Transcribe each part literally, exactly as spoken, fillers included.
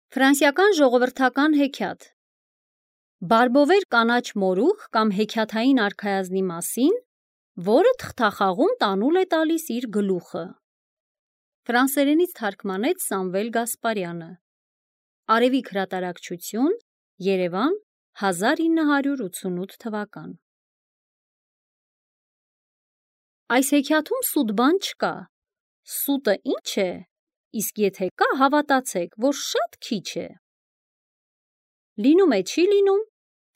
Ֆրանսիական ժողովրդական հեքիաթ Բարբովեր կանաչ մորուք կամ հեքիաթային արքայազնի մասին, որը թղթախաղում տանուլ է տալիս իր գլուխը։ Ֆրանսերենից թարգմանեց Սամվել Գասպարյանը։ Արևիկ հրատարակչություն, Երևան, հազար ինը հարյուր ութսունութ թվական։ Այս հեքիաթում սուտ բան չկա։ Սուտը ինչ է, իսկ եթե կա, հավատացեք, որ շատ քիչ է։ Լինում է չի լինում,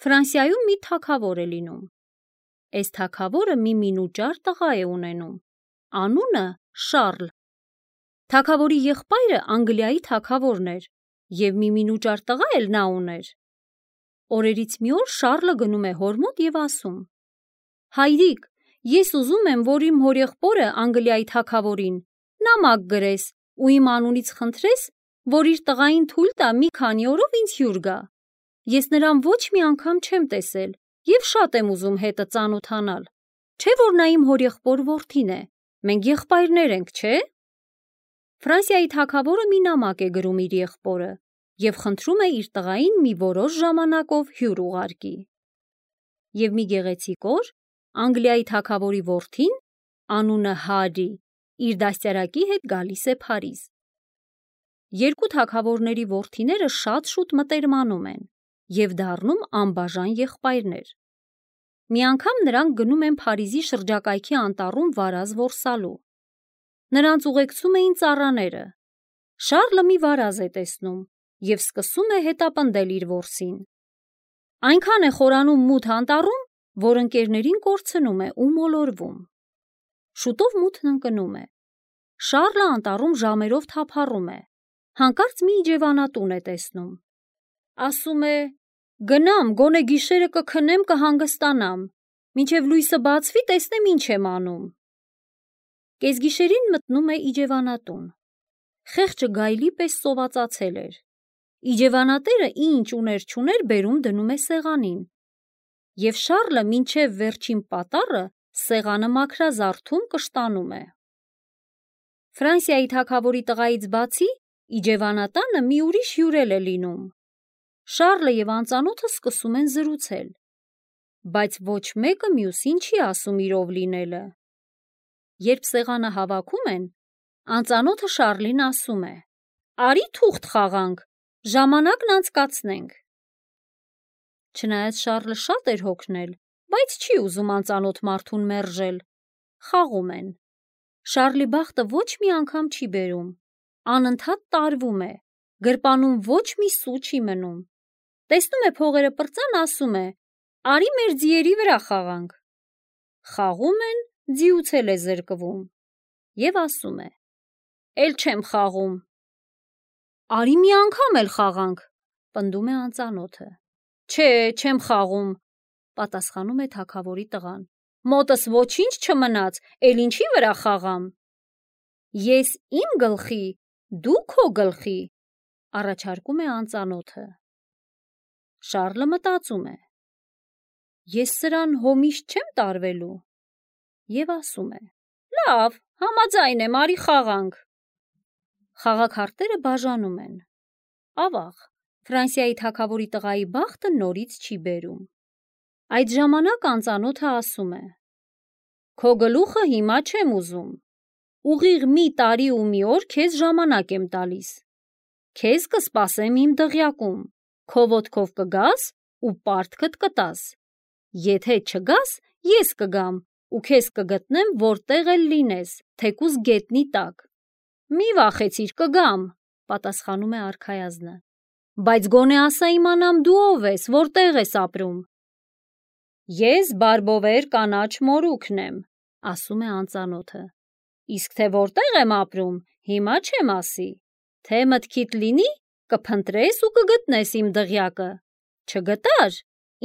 Ֆրանսիայում մի թագավոր է լինում։ Այս թագավորը մի մինուճար տղա է ունենում, անունը Շարլ։ Թագավորի եղբայրը Անգլիայի թագավորն էր, և մի մինուճար տղա էլ նա ուներ։ Օրերից մի օր Շարլը գնում է հոր մոտ և ասում. «Հայրիկ, ես ուզում եմ, որ իմ հորեղբորը Անգլիայի թագավորին նամակ գրես ու իմ անունից խնդրես, որ իր տղային թույլ տա մի քանի օրով ինձ հյուր գա։ Ես նրան ոչ մի անգամ չեմ տեսել և շատ եմ ուզում հետը ծանոթանալ, չէ՞ որ նա իմ հորեղբոր որդին է, մենք եղբայրներ ենք, չէ՞»։ Ֆրանսիայի թագավորը մի նամակ է գրում իր եղբորը և խնդրում է իր տղային մի որոշ ժամանակով հյուր ուղարկի։ Եվ մի գեղեցիկ օր Անգլիայի թագավորի որդին, անունը Հարի, իր դաստիարակի հետ գալիս է Փարիզ։ Երկու թագավորների որդիները շատ շուտ մտերմանում են և դառնում անբաժան եղբայրներ։ Մի անգամ նրանք գնում են Փարիզի շրջակայքի անտառում վարազ որսալու։ Նրանց ուղեկցում էին ծառաները։ Շարլը մի վարազ է տեսնում և սկսում է հետապնդել իր որսին։ Այնքան է խորանում մութ անտառում, որ ընկերներին կորցնում է ու մոլորվում։ Շուտով մութն ընկնում է։ Շարլը անտառում ժամերով թափառում է, հանկարծ մի իջևանատուն է տեսնում։ Ասում է. «Գնամ, գոնե գիշերը կքնեմ, կհանգստանամ, մինչև լույսը բացվի, տեսնեմ ինչ եմ անում»։ Կեսգիշերին մտնում է իջևանատուն։ Խեղճը գայլի պես սովածացել էր։ Իջևանատերը ինչ ուներ չուներ բերում դնում է սեղանին։ Եվ Շարլը մինչև վերջին պատառը սեղանը մաքրազարդում կշտանում է։ Ֆրանսիայի թագավորի տղայից բացի իջևանատանը մի ուրիշ հյուր էլ է լինում։ Շարլը և անծանոթը սկսում են զրուցել, բայց ոչ մեկը մյուսին չի ասում իր ով լինելը։ Երբ սեղանը հավաքում են, անծանոթը Շարլին ասում է. «Արի թուղթ խաղանք, ժամանակն անցկացնենք»։ Չնայած Շարլը շատ էր հոգնել, բայց չի ուզում անծանոթ մարդուն մերժել։ Խաղում են։ Շարլի բախտը ոչ մի անգամ չի բերում, անընդհատ տարվում է, գրպանում ոչ մի սու չի մնում։ Տեսնում է փողերը պրծան, ասում է. «Արի մեր ձիերի վրա խաղանք»։ Խաղում են, ձիուց էլ է զրկվում և ասում է. «Էլ չեմ խաղում»։ «Արի մի անգամ էլ խաղանք», պնդում է անծանոթը։ «Չէ, չեմ խաղում», պատասխանում է թագավորի տղան։ «Մոտս ոչինչ չմնաց, էլ ինչի վրա խաղամ»։ «Ես իմ գլխի, դու քո գլխի», առաջարկում է անծանոթը։ Շարլը մտածում է. «Ես սրան հո միշտ չեմ տարվելու» և ասում է. «Լավ, համաձայն եմ, արի խաղանք»։ Խաղաքարտերը բաժանում են։ Ավաղ, Ֆրանսիայի թագավորի տղայի բախտը նորից չի բերում։ Այդ ժամանակ անծանոթը ասում է. «Քո գլուխը հիմա չեմ ուզում։ Ուղիղ մի տարի ու մի օր քեզ ժամանակ եմ տալիս։ Քեզ կսպասեմ իմ դղյակում, քո ոտքով կգաս ու պարտքդ կտաս։ Եթե չգաս, ես կգամ ու քեզ կգտնեմ որտեղ էլ լինես, թեկուզ գետնի տակ»։ «Մի վախեցիր, կգամ», պատասխանում է արքայազնը, «բայց գոնե ասա իմանամ դու ով ես, որտեղ ես ապրում»։ «Ես Բարբովեր կանաչ մորուքն եմ», ասում է անծանոթը, «իսկ թե որտեղ եմ ապրում, հիմա չեմ ասի։ Թե մտքիդ լինի, կփնտրես ու կգտնես իմ դղյակը, չգտար,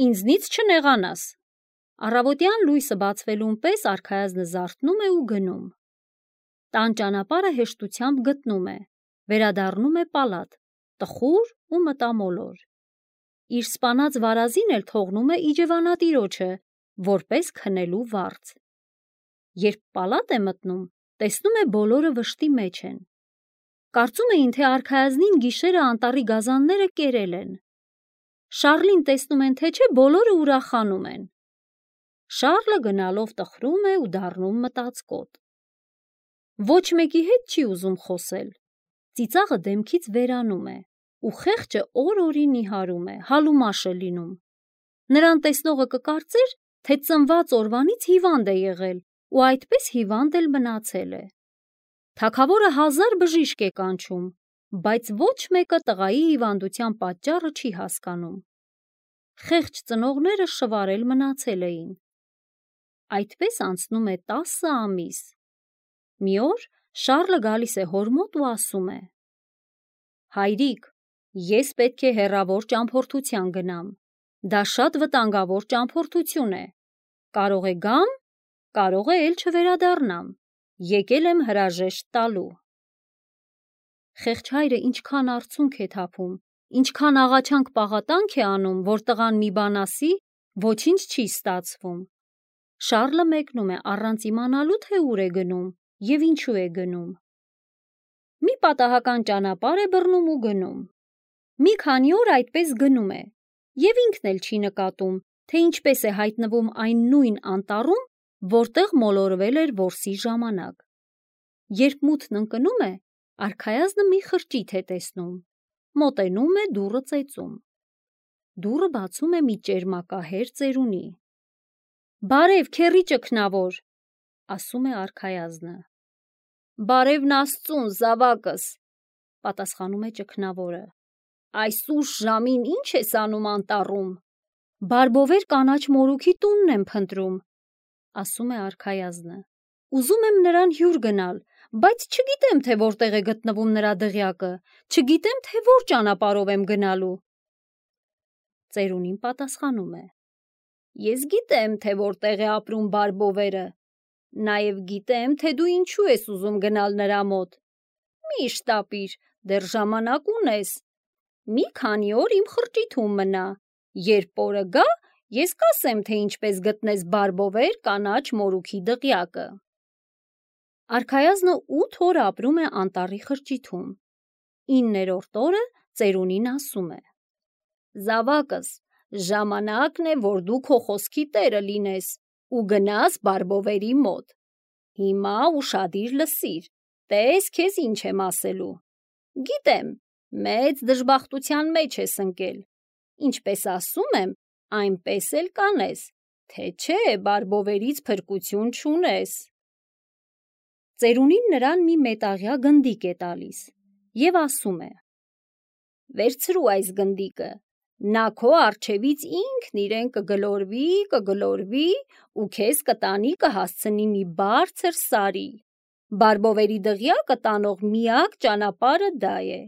ինձնից չնեղանաս»։ Առավոտյան լույսը բացվելուն պես արքայազնը զարթնում է ու գնում։ Տան ճանապարհը հեշտությամբ գտնում է, վերադառնում է պալատ, տխուր ու մտամոլոր։ Իր սպանած վարազին էլ թողնում է իջևանատիրոջը, որպես քնելու վարձ։ Երբ պալատ է մտնում, տեսնում է բոլորը վշտի մեջ են։ Կարծում էին, թե արքայազնին գիշերը անտառի գազանները կերել են։ Շառլին տեսնում են, թե չէ, բոլորը ուրախանում են։ Շառլը գնալով տխրում է ու դառնում մտածկոտ։ Ոչ մեկի հետ չի ուզում խոսել։ Ծիծաղը դեմքից վերանում է, ու խեղճը օր-օրի նիհարում է, հալումաշ է լինում։ Նրան տեսնողը կկարծեր, թե ծնված օրվանից հիվանդ է եղել ու այդպես հիվանդ էլ մնացել է։ Թագավորը հազար բժիշկ է կանչում, բայց ոչ մեկը տղայի հիվանդության պատճառը չի հասկանում։ Խեղճ ծնողները շվարել մնացել էին։ Այդպես անցնում է տասը ամիս։ Մի օր Շառլը գալիս է հոր մոտ ու ասում է. «Հայրիկ, ես պետք է հեռավոր ճամփորդության գնամ։ Դա շատ վտանգավոր ճամփորդություն է։ Կարող է գամ, կարող է էլ չվերադառնամ։ Եկել եմ հրաժեշտ տալու»։ Խեղճ հայրը ինչքան արցունք է թափում, ինչքան աղաչանք պաղատանք է անում, որ տղան մի բան ասի, ոչինչ չի ստացվում։ Շառլը մեկնում է առանց իմանալու, թե ուր է գնում և ինչու է գնում։ Մի պատահական ճանապարհ է բռնում ու գնում։ Մի քանի օր այդպես գնում է, և ինքն էլ չի նկատում, թե ինչպես է հայտնվում այն նույն անտառում, որտեղ մոլորվել էր որսի ժամանակ։ Երբ մութն ընկնում է, արքայազնը մի խրճիթ է տեսնում, մոտենում է, դուռը ծեծում։ Դուռը բացում է մի ճերմակահեր ծերունի։ «Բարև, քեռի ճգնավոր», ասում է արքայազնը։ «Բարևն Աստծուն, զավակս», պատասխանում է ճգնավորը։ «Այս ուշ ժամին ի՞նչ ես անում անտառում»։ «Բարբովեր կանաչ մորուքի տունն եմ փնտրում», ասում է արքայազնը։ «Ուզում եմ նրան հյուր գնալ, բայց չգիտեմ, թե որտեղ է գտնվում նրա դղյակը, չգիտեմ, թե որ ճանապարհով եմ գնալու»։ Ծերունին պատասխանում է. «Ես գիտեմ, թե որտեղ է ապրում Բարբովերը, նաև գիտեմ, թե դու ինչու ես ուզում գնալ նրա մոտ։ Մի շտապիր, դեռ ժամանակ ունես։ Մի քանի օր իմ խրճիթում մնա, երբ օրը գա, ես կասեմ, թե ինչպես գտնես Բարբովեր կանաչ մորուքի դղյակը»։ Արքայազնը ութ օր ապրում է անտառի խրճիթում։ Իններորդ օրը ծերունին ասում է. «Զավակս, ժամանակն է, որ դու քո խոսքի տերը լինես ու գնաս Բարբովերի մոտ։ Հիմա ուշադիր լսիր, տես քեզ ինչ եմ ասելու։ Գիտեմ, մեծ դժբախտության մեջ ես ընկել։ Ինչպես ասում եմ, այնպես էլ կանես, թե չէ Բարբովերից փրկություն չունես»։ Ծերունին նրան մի մետաղյա գնդիկ է տալիս և ասում է. «Վերցրու այս գնդիկը, նա քո առջևից ինքն իրեն կգլորվի, կգլորվի ու քեզ կտանի կհասցնի մի բարձր սարի։ Բարբովերի դղյակը տանող միակ ճանապարհը դա է։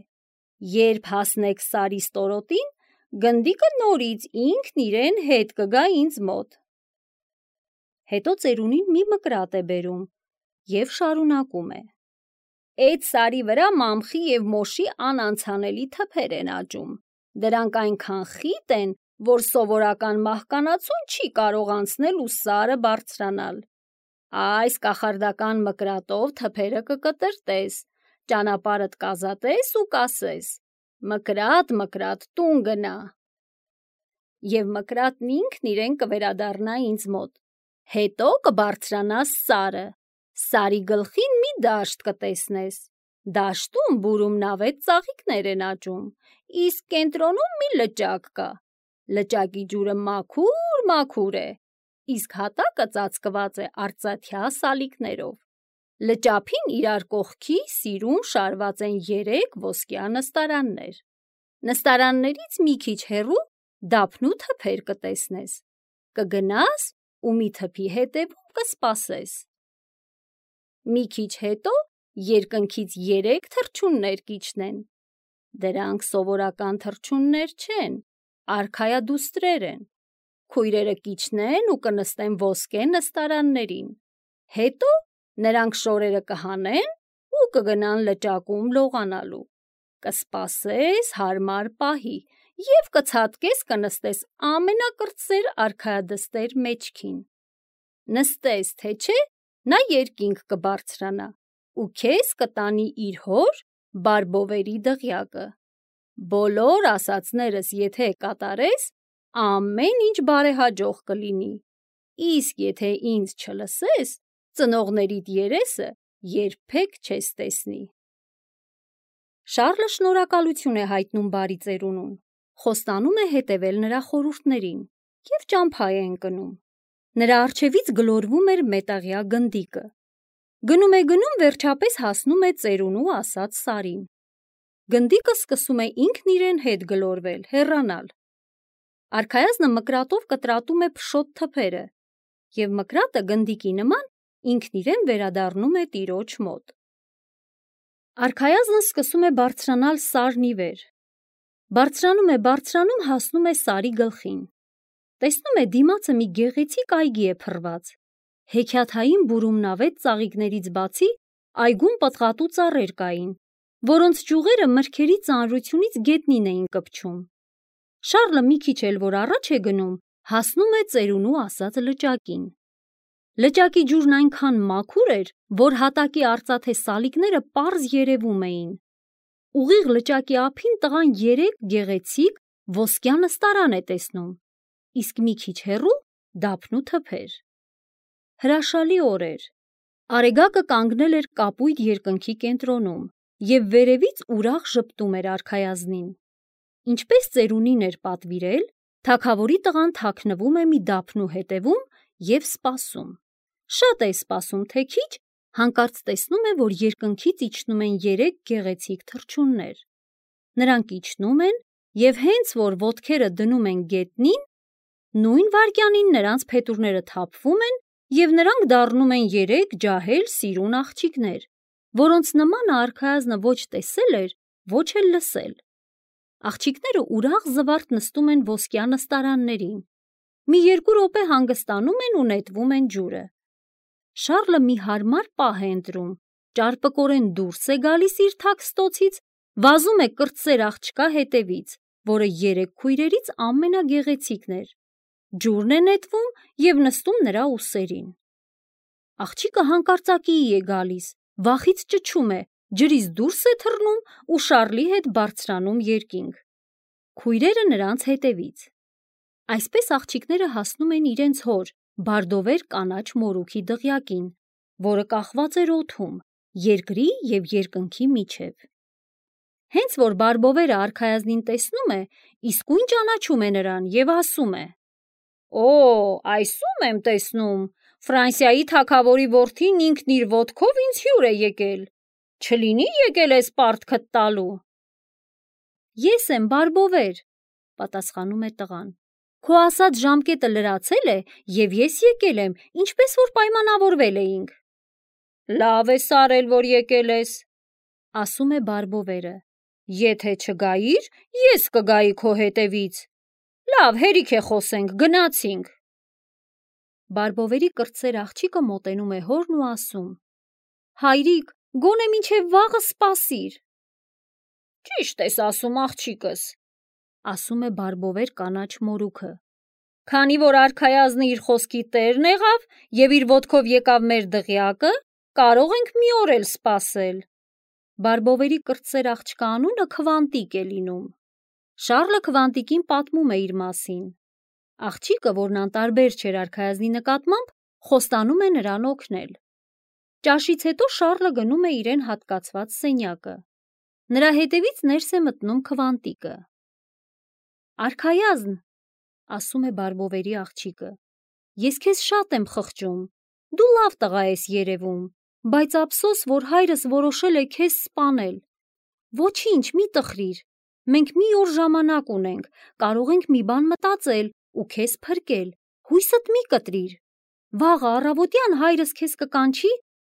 Երբ հասնեք սարի ստորոտին, գնդիկը նորից ինքն իրեն հետ կգա ինձ մոտ»։ Հետո ծերունին մի մկրատ է բերում և շարունակում է. «Էդ սարի վրա մամխի և մոշի անանցանելի թփեր են աճում։ Դրանք այնքան խիտ են, որ սովորական մահկանացուն չի կարող անցնել ու սարը բարձրանալ։ Այս կախարդական մկրատով թփերը կկտրտես, ճանապարհդ կազատես ու կասես. «Մկրատ, մկրատ, տուն գնա»։ Եվ մկրատն ինքն իրեն կվերադառնա ինձ մոտ։ Հետո կբարձրանաս սարը, սարի գլխին մի դաշտ կտեսնես։ Դաշտում բուրում նավետ ծաղիկներ են աճում, իսկ կենտրոնում մի լճակ կա։ Լճակի ջուրը մաքուր-մաքուր է, իսկ հատակը ծածկված է արծաթյա սալիկներով։ Լճափին իրար կողքի սիրուն շարված են երեք ոսկյա նստարաններ։ Նստարաններից մի քիչ հեռու դափնու թփեր կտեսնես։ Կգնաս ու մի թփի հետևում կսպասես։ Մի քիչ հետո երկնքից երեք թռչուններ կիջնեն։ Դրանք սովորական թռչուններ չեն, արքայադուստրեր են։ Քույրերը կիջնեն ու կնստեն ոսկե նստարաններին։ Հետո նրանք շորերը կհանեն ու կգնան լճակում լողանալու։ Կսպասես հարմար պահի և կցատկես կնստես ամենակրտսեր արքայադստեր մեջքին։ Նստես, թե չէ, նա երկինք կբարձրանա ու քեզ կտանի իր հոր Բարբովերի դղյակը։ Բոլոր ասածներս եթե կատարես, ամեն ինչ բարեհաջող կլինի, իսկ եթե ինձ չլսես, ծնողներիդ երեսը երբեք չես տեսնի։ Շառլը շնորհակալություն է հայտնում բարի ծերունուն, խոստանում է հետևել նրա խորհուրդներին և ճամփա է ընկնում։ Նրա առջևից գլորվում էր մետաղյա գնդիկը։ Գնում է գնում, վերջապես հասնում է ծերունու ասած սարին։ Գնդիկը սկսում է ինքն իրեն հետ գլորվել, հեռանալ։ Արքայազնը մկրատով կտրատում է փշոտ թփերը, և մկրատը գնդիկի նման ինքն իրեն վերադառնում է տիրոջ մոտ։ Արքայազնը սկսում է բարձրանալ սարն ի վեր։ Բարձրանում է, բարձրանում, հասնում է սարի գլխին։ Տեսնում է դիմացը մի գեղեցիկ այգի է փռված։ Հեքիաթային բուրումնավետ ծաղիկներից բացի այգում պտղատու ծառեր կային, որոնց ճյուղերը մրգերի ծանրությունից գետնին էին կպչում։ Շառլը մի քիչ էլ որ առաջ է գնում, հասնում է ծերունու ասած լճակին։ Լճակի ջուրն այնքան մաքուր էր, որ հատակի արծաթե սալիկները պարզ երևում էին։ Ուղիղ լճակի ափին տղան երեք գեղեցիկ ոսկյա նստարան է տեսնում, իսկ մի քիչ հեռու դափնու թփեր։ Հրաշալի օր էր։ Արեգակը կանգնել էր կապույտ երկնքի կենտրոնում և վերևից ուրախ ժպտում էր արքայազնին։ Ինչպես ծերունին էր պատվիրել, թագավորի տղան թաքնվում է մի դափնու հետևում և սպասում։ Շատ է սպասում, թե քիչ, հանկարծ տեսնում է, որ երկնքից իջնում են երեք գեղեցիկ թռչուններ։ Նրանք իջնում են և հենց որ ոտքերը դնում են գետնին, նույն վայրկյանին նրանց փետուրները թափվում են և նրանք դառնում են երեք ջահել սիրուն աղջիկներ, որոնց նմանը արքայազնը ոչ տեսել էր, ոչ էլ լսել։ Աղջիկները ուրախ զվարթ նստում են ոսկյա նստարաններին, մի երկու րոպե հանգստանում են ու նետվում են ջուրը։ Շառլը մի հարմար պահ է ընտրում, ճարպկորեն դուրս է գալիս իր թաքստոցից, վազում է կրտսեր աղջկա հետևից, որը երեք քույրերից ամենագեղեցիկն էր, ջուրն է նետվում և նստում նրա ուսերին։ Աղջիկը հանկարծակիի է գալիս, վախից ճչում է, ջրից դուրս է թռնում ու Շառլի հետ բարձրանում երկինք։ Քույրերը նրանց հետևից։ Այսպես աղջիկները հասնում են իրենց հոր, բարդովեր կանաչ մորուքի դղյակին, որը կախված էր օդում, երկրի և երկնքի միջև։ Հենց որ բարբովերը արքայազնին տեսնում է, իսկույն ճանաչում է նրան և ասում է. «Օ, այսում եմ տեսնում, Ֆրանսիայի թագավորի որդին ինքն իր ոտքով ինձ հյուր է եկել, չլինի եկել ես պարտքդ տալու»։ «Ես եմ, բարբովեր», պատասխանում է տղան։ «Քո ասած ժամկետը լրացել է և ես եկել եմ, ինչպես որ պայմանավորվել էինք»։ «Լավ ես արել, որ եկել ես», ասում է բարբովերը։ «Եթե չգայիր, ես կգայի քո հետևից։ Լավ, հերիք է խոսենք, գնացինք»։ Բարբովերի կրտսեր աղջիկը մոտենում է հորն ու ասում. «Հայրիկ, գոնե մինչև վաղը սպասիր»։ «Ճիշտ ես ասում, աղջիկս», ասում է բարբովեր կանաչ մորուքը։ «Քանի որ արքայազնը իր խոսքի տերն եղավ և իր ոտքով եկավ մեր դղյակը, կարող ենք մի օր էլ սպասել»։ Բարբովերի կրտսեր աղջկա անունը Քվանտիկ է լինում։ Շառլը Քվանտիկին պատմում է իր մասին։ Աղջիկը, որն անտարբեր չէր արքայազնի նկատմամբ, խոստանում է նրան օգնել։ Ճաշից հետո Շառլը գնում է իրեն հատկացված սենյակը։ Նրա հետևից ներս է մտնում Քվանտիկը։ «Արքայազն», ասում է բարբովերի աղջիկը, «ես քեզ շատ եմ խղճում, դու լավ տղա ես երևում, բայց ափսոս, որ հայրս որոշել է քեզ սպանել։ Ոչինչ, մի տխրիր, մենք մի օր ժամանակ ունենք, կարող ենք մի բան մտածել ու քեզ փրկել, հույսդ մի կտրիր։ Վաղը առավոտյան հայրս քեզ կկանչի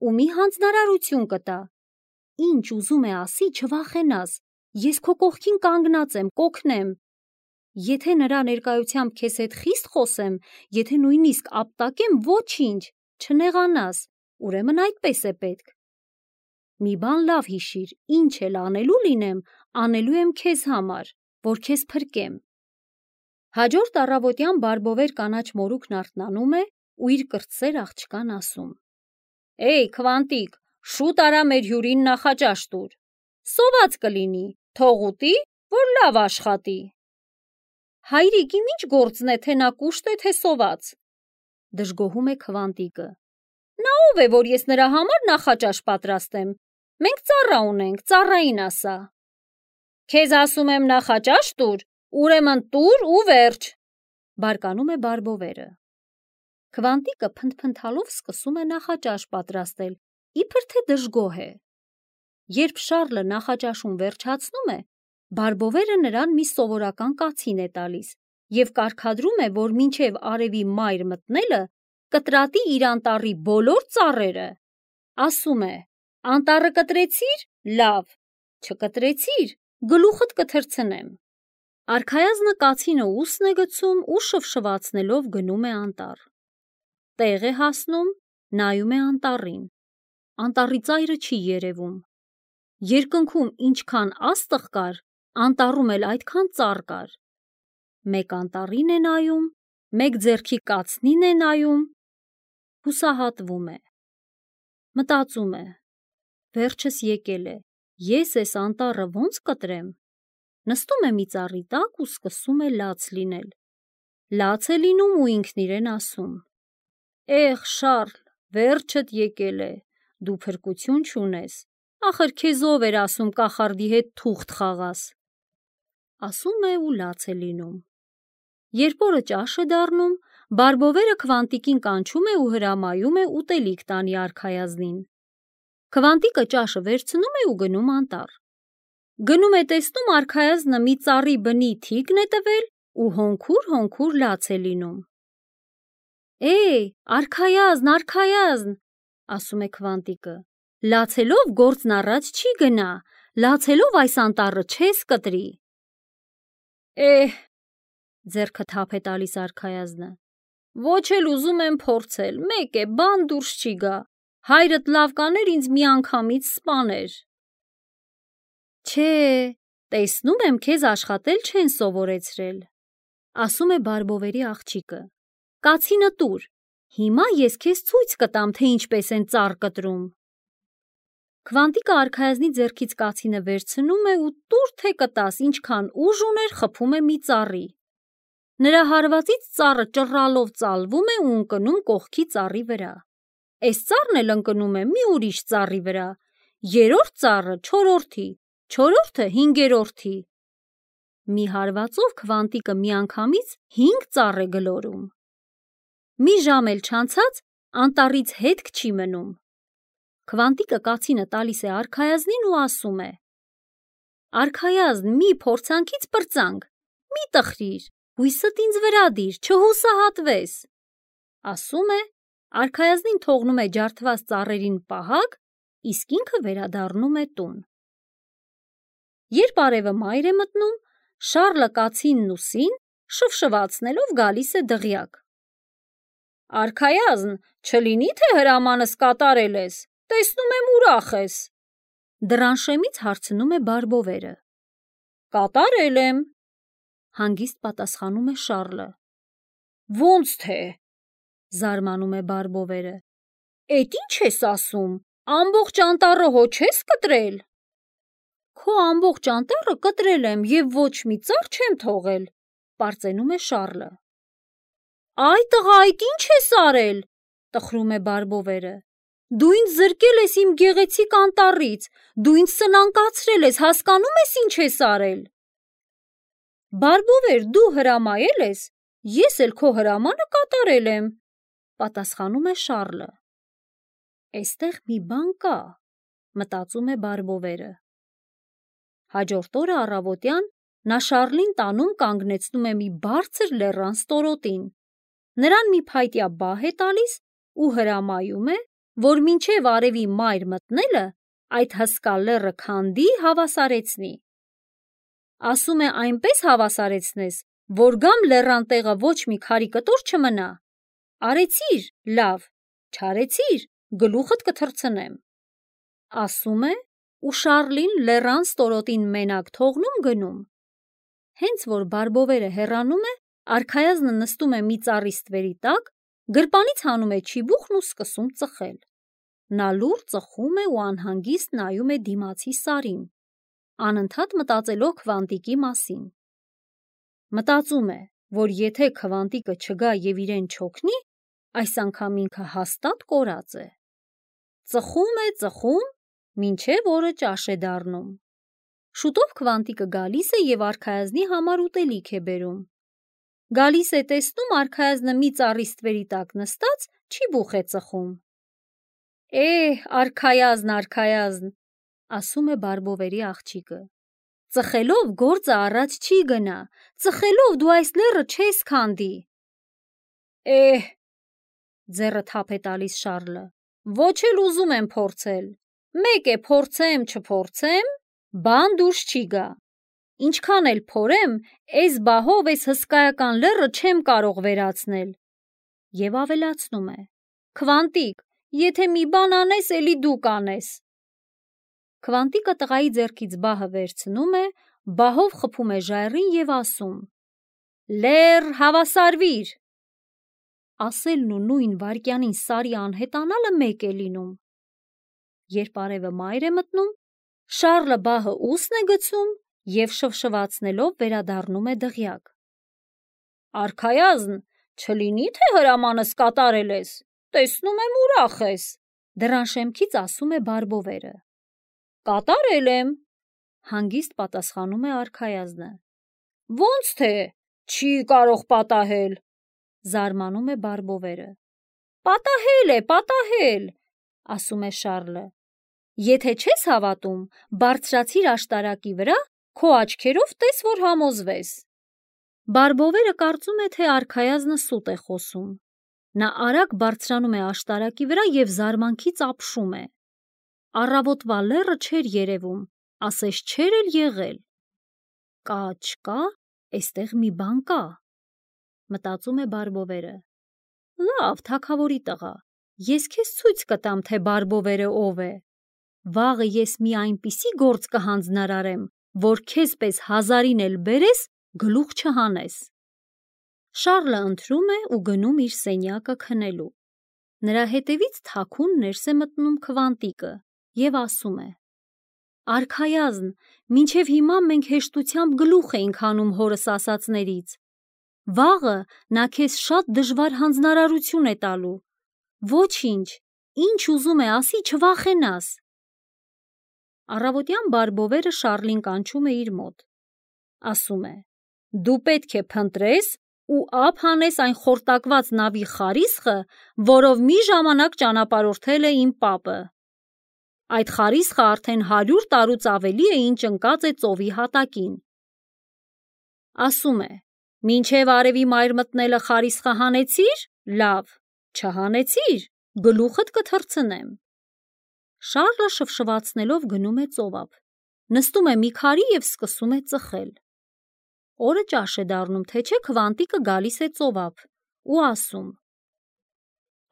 ու մի հանձնարարություն կտա։ Ինչ ուզում է ասի, չվախենաս, ես քո կողքին կանգնած եմ, կօգնեմ։ Եթե նրա ներկայությամբ քեզ հետ խիստ խոսեմ, եթե նույնիսկ ապտակեմ, ոչինչ, չնեղանաս, ուրեմն այդպես է պետք։ Մի բան լավ հիշիր, ինչ էլ անելու լինեմ, անելու եմ քեզ համար, որ քեզ փրկեմ։ Հաջորդ առավոտյան բարբովեր կանաչ մորուքն արթնանում է ու իր կրտսեր աղջկան ասում. «Էյ, Քվանտիկ, շուտ արա մեր հյուրին նախաճաշ տուր։ Սոված կլինի, թող ուտի, որ լավ աշխատի։ Հայրիկ, իմ ինչ գործն է, թե նա կուշտ է, թե սոված, դժգոհում է Քվանտիկը։ Նա ով է, որ ես նրա համար նախաճաշ պատրաստեմ։ Մենք ծառա ունենք, ծառային ասա։ Քեզ ասում եմ նախաճաշ տուր, ուրեմն տուր ու վերջ, բարկանում է բարբովերը։ Քվանտիկը փնթփնթալով սկսում է նախաճաշ պատրաստել, իբր թե դժգոհ է։ Երբ Շառլը նախաճաշում վերջացնում է, բարբովերը նրան մի սովորական կացին է տալիս և կարգադրում է, որ մինչև արևի մայր մտնելը կտրատի իր անտառի բոլոր ծառերը։ Ասում է. անտառը կտրեցի՞ր, լավ, չկտրեցիր, գլուխդ կթռցնեմ։ Արքայազնը կացինը ուսն է գցում ու շվշվացնելով գնում է անտառ։ Տեղ է հասնում, նայում է անտառին։ Անտառի ծայրը չի երևում։ Երկնքում ինչքան աստղ կար, անտառում էլ այդքան ծառ կար։ Մեկ անտառին է նայում, մեկ ձեռքի կացնին է նայում, հուսահատվում է։ Մտածում է. վերջս եկել է, ես էս անտառը ոնց կտրեմ։ Նստում է մի ծառի տակ ու սկսում է լաց լինել։ Լաց է լինում ու ինքն իրեն ասում. Էհ, Շառլ, վերջդ եկել է, դու փրկություն չունես, ախր քեզ ով էր ասում կախարդի հետ թուղթ խաղաս։ Ասում է ու լաց է լինում։ Երբ օրը ճաշ է դառնում, բարբովերը Քվանտիկին կանչում է ու հրամայում է ուտելիք տանի արքայազնին։ Քվանտիկը ճաշը վերցնում է ու գնում անտառ։ Գնում է տեսնում արքայազնը մի ծառի բնի թիկն է տվել ու հոնքուր-հոնքուր լաց է լինում։ Է, արքայազն, արքայազն, ասում է Քվանտիկը, լացելով գործն առաջ չի գնա, լացելով այս անտառը չես կտրի։ Էհ, ձեռքը թափ է տալիս արքայազնը, ոչ էլ ուզում եմ փորձել, մեկ է, բան դուրս չի գա, հայրդ լավ կաներ ինձ մի անգամից սպաներ։ Չէ, տեսնում եմ քեզ աշխատել չեն սովորեցրել, ասում է բարբովերի աղջիկը, կացինը տուր, հիմա ես քեզ ցույց կտամ, թե ինչպես են ծառ կտրում։ Քվանտիկը արքայազնի ձեռքից կացինը վերցնում է ու տուր թե կտաս, ինչքան ուժ ուներ խփում է մի ծառի։ Նրա հարվածից ծառը ճռռալով ծալվում է ու ընկնում կողքի ծառի վրա։ Էս ծառն էլ ընկնում է մի ուրիշ ծառի վրա, երրորդ ծառը չորրորդի, չորրորդը հինգերորդի։ Մի հարվածով Քվանտիկը միանգամից հինգ ծառ է գլորում։ Մի ժամ էլ չանցած անտառից հետք չի մնում։ Քվանտիկը կացինը տալիս է արքայազնին ու ասում է. Արքայազն, մի փորձանքից պրծանք, մի տխրիր, հույսդ ինձ վրա դիր, չհուսահատվես։ Ասում է, արքայազնին թողնում է ջարդված ծառերին պահակ, իսկ ինքը վերադառնում է տուն։ Երբ արևը մայր է մտնում, Շառլը կացինն ու սին շվշվացնելով գալիս է դղյակ։ Արքայազն, չլինի թե հրամանս կատարել ես, տեսնում եմ ուրախ ես, դռան շեմից հարցնում է բարբովերը։ Կատարել եմ, հանգիստ պատասխանում է Շառլը։ Ոնց թե, զարմանում է բարբովերը, էդ ինչ ես ասում, ամբողջ անտառը հո չես կտրել։ Քո ամբողջ անտառը կտրել եմ և ոչ մի ծառ չեմ թողել, պարծենում է Շառլը։ Այ տղա, այդ ինչ ես արել, տխրում է բարբովերը, դու ինձ զրկել ես իմ գեղեցիկ անտառից, դու ինձ սնանկացրել ես, հասկանում ես ինչ ես արել։ Բարբովեր, դու հրամայել ես, ես էլ քո հրամանը կատարել եմ, պատասխանում է Շառլը։ Էստեղ մի բան կա, մտածում է բարբովերը։ Հաջորդ օրը առավոտյան նա Շառլին տանում կանգնեցնում է մի բարձր լեռան ստորոտին, նրան մի փայտյա բահ է տալիս ու հրամայում է, որ մինչև արևի մայր մտնելը այդ հսկա լեռը քանդի, հավասարեցնի։ Ասում է այնպես հավասարեցնես, որ գամ լեռան տեղը ոչ մի քարի կտոր չմնա։ Արեցիր, լավ, չարեցիր, գլուխդ կթռցնեմ։ Ասում է ու Շառլին լեռան ստորոտին մենակ թողնում գնում։ Հենց որ բարբովերը հեռանում է, արքայազնը նստում է մի ծառի ստվերի տակ, գրպանից հանում է չիբուխն ու սկսում ծխել։ Նա լուռ ծխում է ու անհանգիստ նայում է դիմացի սարին, անընդհատ մտածելով քվանտիկի մասին։ Մտածում է, որ եթե քվանտիկը չգա և իրեն չօգնի, այս անգամ ինքը հաստատ կորած է։ Ծխում է, ծխում, մինչև օրը ճաշ է դառնում։ Շուտով քվանտիկը գալիս է և արքայազնի համար ուտելիք է բերում։ Գալիս է, տեսնում արքայազնը մի ծառի ստվերի տակ նստած չիբուխ է ծխում։ «Էհ, արքայազն, արքայազն», ասում է բարբովերի աղջիկը, ծխելով գործը առաջ չի գնա, ծխելով դու այս լեռը չես քանդի։ «Էհ», ձեռը թափ է տալիս Շառլը, ոչ էլ ուզում եմ փորձել, մեկ է փորձեմ, չփորձեմ, բան դուրս չի գա, ինչքան էլ փորեմ, էս բահով էս հսկայական լեռը չեմ կարող վերացնել։ Եվ ավելացնում է. «Քվանտիկ, եթե մի բան անես, էլի դու կանես»։ Քվանտիկը տղայի ձեռքից բահը վերցնում է, բահով խփում է ժայռին և ասում. «Լեռ, հավասարվիր»։ Ասելն ու նույն վայրկյանին Սարի անհետանալը մեկ է լինում։ Երբ արևը մայր է մտնում, Շառլը բահը ուսն է գցում և շվշվացնելով վերադառնում է դղյակ։ «Արքայազն, չլինի՞ թե հրամանս կատարել ես, տեսնում եմ ուրախ ես», դռան շեմքից ասում է բարբովերը։ «Կատարել եմ», հանգիստ պատասխանում է արքայազնը։ «Ոնց թե, չի կարող պատահել», զարմանում է բարբովերը։ «Պատահել է, պատահել», ասում է Շառլը։ «Եթե չես հավատում, բարձրացիր աշտարակի վրա, քո աչքերով տես, որ համոզվես»։ Բարբովերը կարծում է, թե արքայազնը սուտ է խոսում։ Նա արագ բարձրանում է աշտարակի վրա և զարմանքից ապշում է։ Առավոտվա լեռը չէր երևում, ասես չէր էլ եղել։ «Կա, չկա, էստեղ մի բան կա», մտածում է բարբովերը։ «Լավ, թագավորի տղա, ես քեզ ցույց կտամ, թե բարբովերը ով է։ Վաղը ես մի այնպիսի գործ կհանձնարարեմ, որ քեզ պես հազարին էլ բերես, գլուխ չհանես»։ Շառլը ընթրում է ու գնում իր սենյակը քնելու։ Նրա հետևից թաքուն ներս է մտնում քվանտիկը և ասում է. «Արքայազն, մինչև հիմա մենք հեշտությամբ գլուխ էինք հանում հորս ասածներից։ Վաղը նա քեզ շատ դժվար հանձնարարություն է տալու։ Ոչինչ, ինչ ուզում է ասի, չվախենաս»։ Առավոտյան բարբովերը Շառլին կանչում է իր մոտ։ Ասում է. «Դու պետք է փնտրես ու ափ հանես այն խորտակված նավի խարիսխը, որով մի ժամանակ ճանապարհորդել է իմ պապը։ Այդ խարիսխը արդեն հարյուր տարուց ավելի է, ինչ ընկած է ծովի հատակին։ Ասում է. մինչև արևի մայր մտնելը խարիսխը հանեցիր, լավ, չհանեցիր, գլուխդ կթռցնեմ»։ Շառլը շվշվացնելով գնում է ծովափ, նստում է մի քարի և սկսում է ծխել։ Օրը ճաշ է դառնում, թե չէ քվանտիկը գալիս է ծովափ ու ասում.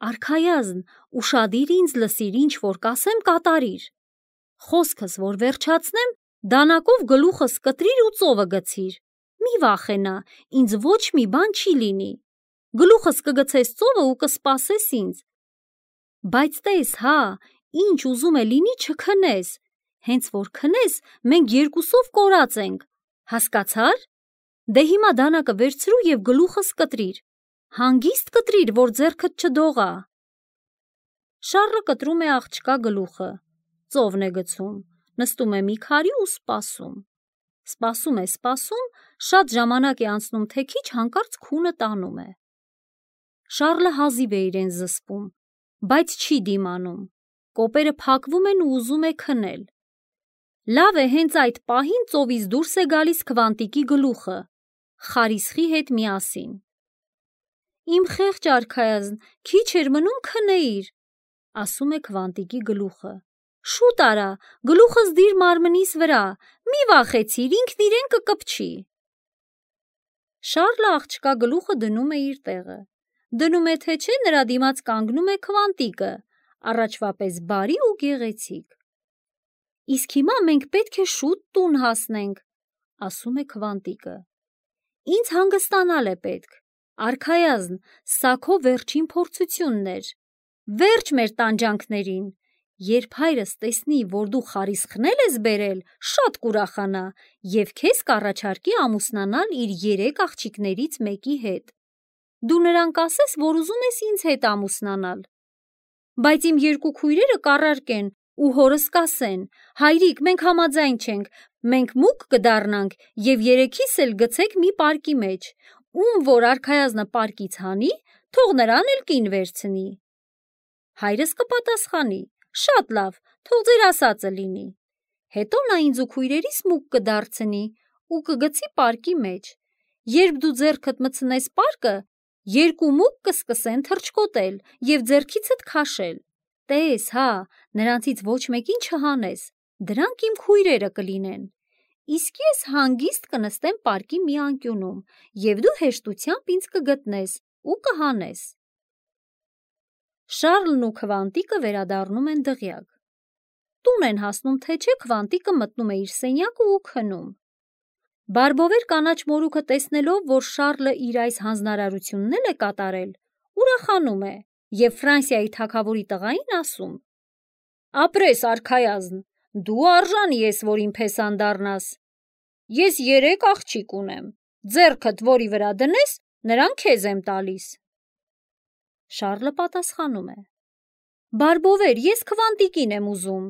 «Արքայազն, ուշադիր ինձ լսիր, ինչ որ կասեմ, կատարիր։ Խոսքս որ վերջացնեմ, դանակով գլուխս կտրիր ու ծովը գցիր։ Մի վախենա, ինձ ոչ մի բան չի լինի։ Գլուխս կգցես ծովը ու կսպասես ինձ։ Բայց տես, հա, ինչ ուզում է լինի, չքնես, հենց որ քնես, մենք երկուսով կորած ենք, հասկացա՞ր։ Դե հիմա դանակը վերցրու և գլուխս կտրիր, հանգիստ կտրիր, որ ձեռքդ չդողա»։ Շառլը կտրում է աղջկա գլուխը, ծովն է գցում, նստում է մի քարի ու սպասում։ Սպասում է, սպասում, շատ ժամանակ է անցնում, թե քիչ հանկարծ քունը տանում է։ Շառլը հազիվ է իրեն զսպում, բայց չի դիմանում։ Կոպերը փակվում են ու ուզում է քնել։ Լավ է, հենց այդ պահին ծովից դուրս է գալիս քվանտիկի գլուխը, խարիսխի հետ միասին։ «Իմ խեղճ արքայազն, քիչ էր մնում քնեիր», ասում է քվանտիկի գլուխը։ «Շուտ արա, գլուխս դիր մարմնիս վրա, մի վախեցիր, ինքն իրեն կկպչի»։ Շառլը աղջկա գլուխը դնում է իր տեղը։ Դնում է, թե չէ, նրա դիմաց կանգնում է քվանտիկը, առաջվա պես բարի ու գեղեցիկ։ «Իսկ հիմա մենք պետք է շուտ տուն հասնենք», ասում է քվանտիկը։ «Ինձ հանգստանալ է պետք։ Արքայազն, սա քո վերջին փորձությունն էր։ Վերջ մեր տանջանքներին։ Երբ հայրս տեսնի, որ դու խարիսխներ ես բերել, շատ կուրախանա և քեզ կառաջարկի ամուսնանալ իր երեք աղջիկներից մեկի հետ։ Դու նրան կասես, որ ուզում ես ինձ հետ ամուսնանալ։ Բայց իմ երկու քույրերը կառարկեն ու հորս կասեն. հայրիկ, մենք համաձայն չենք, մենք մուկ կդառնանք և երեքիս էլ գցեք մի պարկի մեջ, ում որ արքայազնը պարկից հանի, թող նրան էլ կին վերցնի։ Հայրս կպատասխանի. շատ լավ, թող ձեր ասածը լինի։ Հետո նա ինձ ու քույրերիս մուկ կդարձնի ու կգցի պարկի մեջ։ Երբ դու ձեռքդ մտցնես պարկը, երկու մուկ կսկսեն թռչկոտել և ձեռքիցդ քաշել։ Տես, հա, նրանցից ոչ մեկին չհանես, դրանք իմ քույրերը կլինեն։ Իսկ ես հանգիստ կնստեմ պարկի մի անկյունում և դու հեշտությամբ ինձ կգտնես ու կհանես։ Շառլն ու Քվանտիկը վերադառնում են դղյակ։ Տուն են հասնում, թե չէ Քվանտիկը մտնում է իր սենյակը ու քնում։ Բարբովեր կանաչ մորուքը տեսնելով, որ Շառլը իր այս հանձնարարությունն էլ է կատարել, ուրախանում է և Ֆրանսիայի թագավորի տղային ասում. ապրես արքայազն, դու արժանի ես, որ իմ փեսան դառնաս։ Ես երեք աղջիկ ունեմ, ձեռքդ որի վրա դնես, նրան քեզ եմ տալիս։ Շառլը պատասխանում է. Բարբովեր, ես Քվանտիկին եմ ուզում։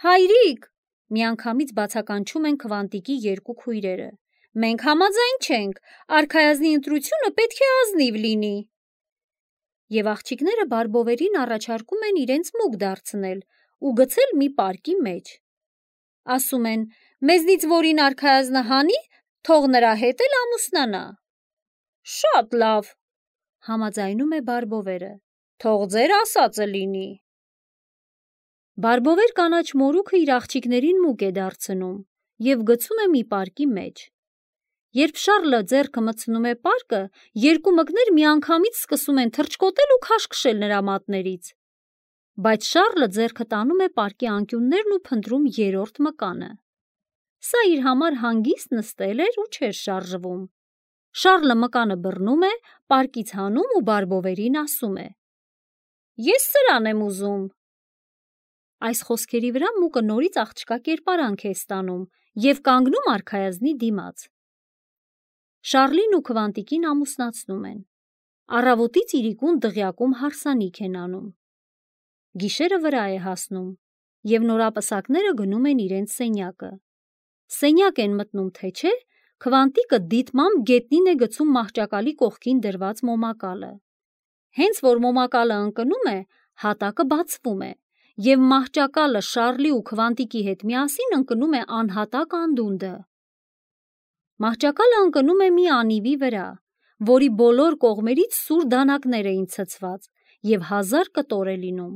Հայրիկ, միանգամից բացականչում են Քվանտիկի երկու քույրերը, մենք համաձայն չենք, արքայազնի ընտրությունը պետք է ազնիվ լինի։ Եվ աղջիկները Բարբովերին առաջարկում են իրենց մուկ դարձնել ու գցել մի պարկի մեջ։ Ասում են, մեզնից որին արքայազնը հանի, թող նրա հետ էլ ամուսնանա։ Շատ լավ, համաձայնում է Բարբովերը, թող ձեր ասածը լինի։ Բարբովեր կանաչ մորուքը իր աղջիկներին մուկ է դարձնում և գցում է մի պարկի մեջ։ Երբ Շառլը ձեռքը մտցնում է պարկը, երկու մկներ միանգամից սկսում են թռչկոտել ու քաշքշել նրա մատներից։ Բայց Շառլը ձեռքը տանում է պարկի անկյուններն ու փնտրում երրորդ մկանը։ Սա իր համար հանգիստ նստել էր ու չէր շարժվում։ Շառլը մկանը բռնում է, պարկից հանում ու Բարբովերին ասում է. Ես սրան եմ ուզում։ Այս խոսքերի վրա մուկը նորից աղջկա կերպարանք է ստանում և կանգնում արքայազնի դիմաց։ Շառլին ու Քվանտիկին ամուսնացնում են։ Առավոտից իրիկուն դղյակում հարսանիք են անում։ Գիշերը վրա է հասնում և նորապսակները գնում են իրենց սենյակը։ Սենյակ են մտնում, թե չէ, Քվանտիկը դիտմամբ գետնին է գցում մահճակալի կողքին դրված մոմակալը։ Հենց որ մոմակալը ընկնում է, հատակը բացվում է և մահճակալը Շառլի ու Քվանտիկի հետ միասին ընկնում է անհատակ անդունդը։ Մահճակալը ընկնում է մի անիվի վրա, որի բոլոր կողմերից սուր դանակներ էին ցցված և հազար կտոր է լինում։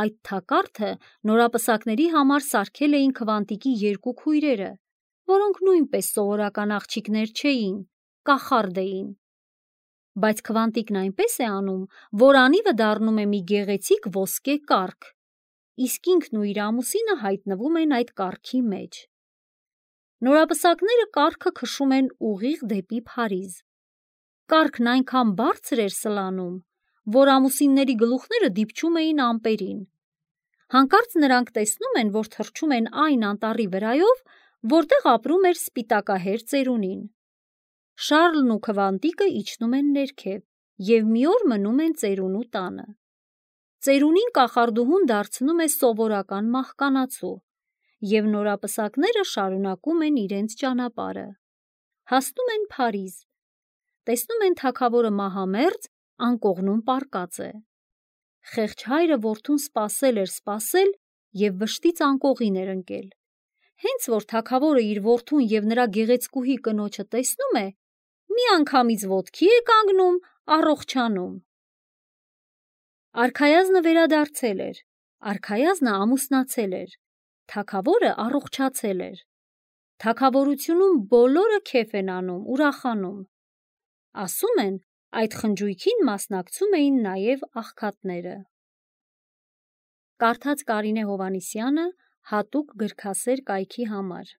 Այդ թակարդը նորապսակների համար սարքել էին Քվանտիկի երկու քույրերը, որոնք նույնպես սովորական աղջիկներ չէին, կախարդ էին։ Բայց Քվանտիկն այնպես է անում, որ անիվը դառնում է մի գեղեցիկ ոսկե կառք, իսկ ինքն ու իր ամուսինը հայտնվում են այդ կառքի մեջ։ Նորապսակները կառքը քշում են ուղիղ դեպի Փարիզ։ Կառքն այնքան բարձր էր սլանում, որ ամուսինների գլուխները դիպչում էին ամպերին։ Հանկարծ նրանք տեսնում են, որ թռչում են այն անտառի վրայով, որտեղ ապրում էր սպիտակահեր ծերունին։ Շառլն ու Քվանտիկը իջնում են ներքև և մի օր մնում են ծերունու տանը։ Ծերունին կախարդուհուն դարձնում է սովորական մահկանացու, և նորապսակները շարունակում են իրենց ճանապարհը։ Հասնում են Փարիզ։ Տեսնում են թագավորը մահամերձ անկողնում պառկած է։ Խեղճ հայրը որդուն սպասել էր սպասել և վշտից անկողին էր ընկել։ Հենց որ թագավորը իր որդուն և նրա գեղեցկուհի կնոջը տեսնում է, միանգամից ոտքի է կանգնում, առողջանում։ Արքայազնը վերադարձել էր, արքայազնը ամուսնացել էր, թագավորը առողջացել էր։ Թագավորությունում բոլորը քեֆ են անում, ուրախանում։ Ասում են, այդ խնջույքին մասնակցում էին նաև աղքատները։ Կարդաց Կարինե Հովհաննիսյանը հատուկ գրքասեր կայքի համար։